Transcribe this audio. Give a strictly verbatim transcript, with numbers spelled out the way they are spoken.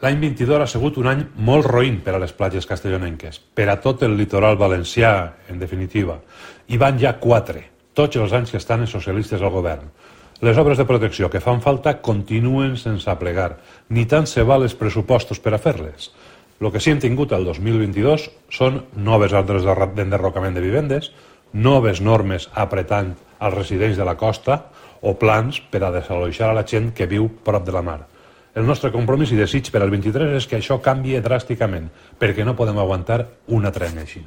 L'any vint-i-dos ha sigut un any molt roïn per a les platges castellonenques, per a tot el litoral valencià, en definitiva. Hi van ja quatre, tots els anys que estan els socialistes al govern. Les obres de protecció que fan falta continuen sense aplegar, ni tant se val els pressupostos per a fer-les. El que sí hem tingut el dos mil vint-i-dos són noves ordres d'enderrocament de vivendes, noves normes apretant als residents de la costa o plans per a desalojar a la gent que viu prop de la mar. El nostre compromís i desig per al vint-i-tres és que això canvie dràsticament, perquè no podem aguantar una trena així.